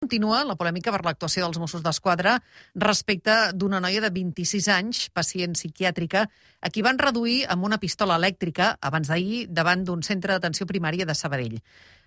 Continua la polèmica per l'actuació dels Mossos d'Esquadra respecte d'una noia de 26 anys, pacient psiquiàtrica, a qui van reduir amb una pistola elèctrica abans d'ahir davant d'un centre d'atenció primària de Sabadell.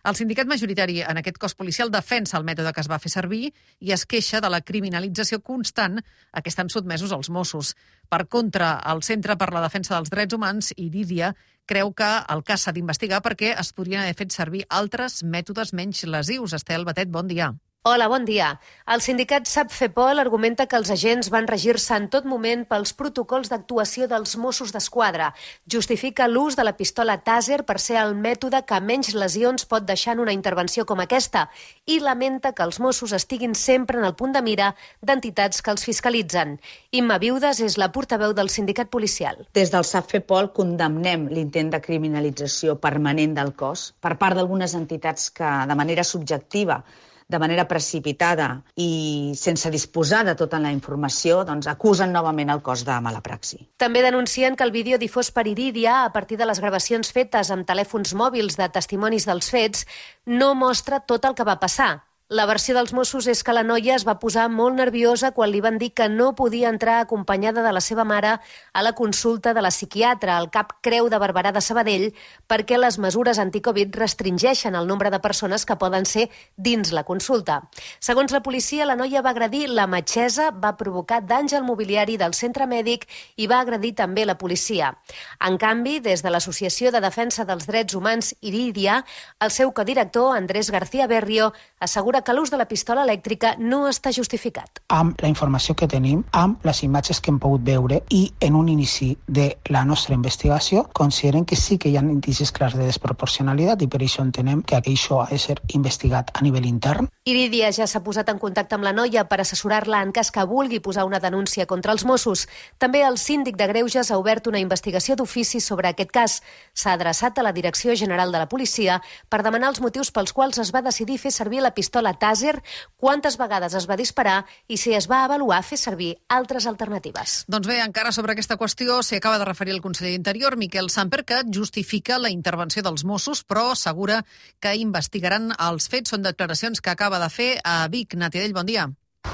El sindicat majoritari en aquest cos policial defensa el mètode que es va fer servir i es queixa de la criminalització constant a què estan sotmesos els Mossos. Per contra, el Centre per la Defensa dels Drets Humans, Irídia, creu que el cas s'ha d'investigar perquè es podrien haver fet servir altres mètodes menys lesius. Estel Batet, bon dia. Hola, bon dia. El sindicat SAPFEPOL argumenta que els agents van regir-se en tot moment pels protocols d'actuació dels Mossos d'Esquadra. Justifica l'ús de la pistola Taser per ser el mètode que menys lesions pot deixar en una intervenció com aquesta i lamenta que els Mossos estiguin sempre en el punt de mira d'entitats que els fiscalitzen. Imma Viudes és la portaveu del sindicat policial. Des del SAPFEPOL condemnem l'intent de criminalització permanent del cos per part d'algunes entitats que, de manera subjectiva, de manera precipitada i sense disposar de tota la informació, acusen novament el cos de mala praxi. També denuncien que el vídeo difós per Irídia, a partir de les gravacions fetes amb telèfons mòbils de testimonis dels fets, no mostra tot el que va passar. La versió dels Mossos és que la noia es va posar molt nerviosa quan li van dir que no podia entrar acompanyada de la seva mare a la consulta de la psiquiatra al Cap Creu de Barberà de Sabadell perquè les mesures anticovid restringeixen el nombre de persones que poden ser dins la consulta. Segons la policia, la noia va agredir la metgessa, va provocar danys al mobiliari del centre mèdic i va agredir també la policia. En canvi, des de l'Associació de Defensa dels Drets Humans Irídia, el seu codirector, Andrés García Berrio, assegura que l'ús de la pistola elèctrica no està justificat. Amb la informació que tenim, amb les imatges que hem pogut veure i en un inici de la nostra investigació, consideren que sí que hi ha indicis clars de desproporcionalitat i per això entenem que això ha de ser investigat a nivell intern. Irídia ja s'ha posat en contacte amb la noia per assessorar-la en cas que vulgui posar una denúncia contra els Mossos. També el síndic de Greuges ha obert una investigació d'ofici sobre aquest cas. S'ha adreçat a la Direcció General de la Policia per demanar els motius pels quals es va decidir fer servir la pistola Taser, quantes vegades es va disparar i si es va avaluar fer servir altres alternatives. Doncs bé, encara sobre aquesta qüestió s'hi acaba de referir el conseller d'Interior, Miquel Samper, que justifica la intervenció dels Mossos, però assegura que investigaran els fets. Són declaracions que acaba de fer a Vic. Natiadell, bon dia.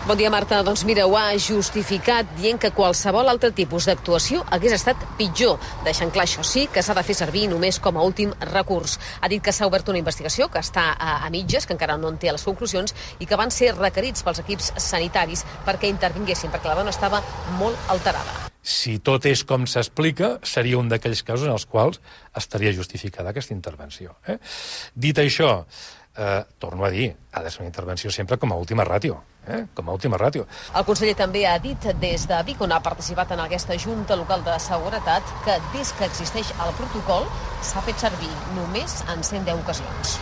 Bon dia, Marta. Doncs mira, ho ha justificat dient que qualsevol altre tipus d'actuació hagués estat pitjor, deixant clar, això sí, que s'ha de fer servir només com a últim recurs. Ha dit que s'ha obert una investigació que està a mitges, que encara no en té les conclusions, i que van ser requerits pels equips sanitaris perquè intervinguessin, perquè la dona estava molt alterada. Si tot és com s'explica, seria un d'aquells casos en els quals estaria justificada aquesta intervenció. Dit això, torno a dir, ha de ser una intervenció sempre com a última ràtio. Com a última ràtio. El conseller també ha dit des de Vic, on ha participat en aquesta Junta Local de Seguretat, que des que existeix el protocol s'ha fet servir només en 110 ocasions.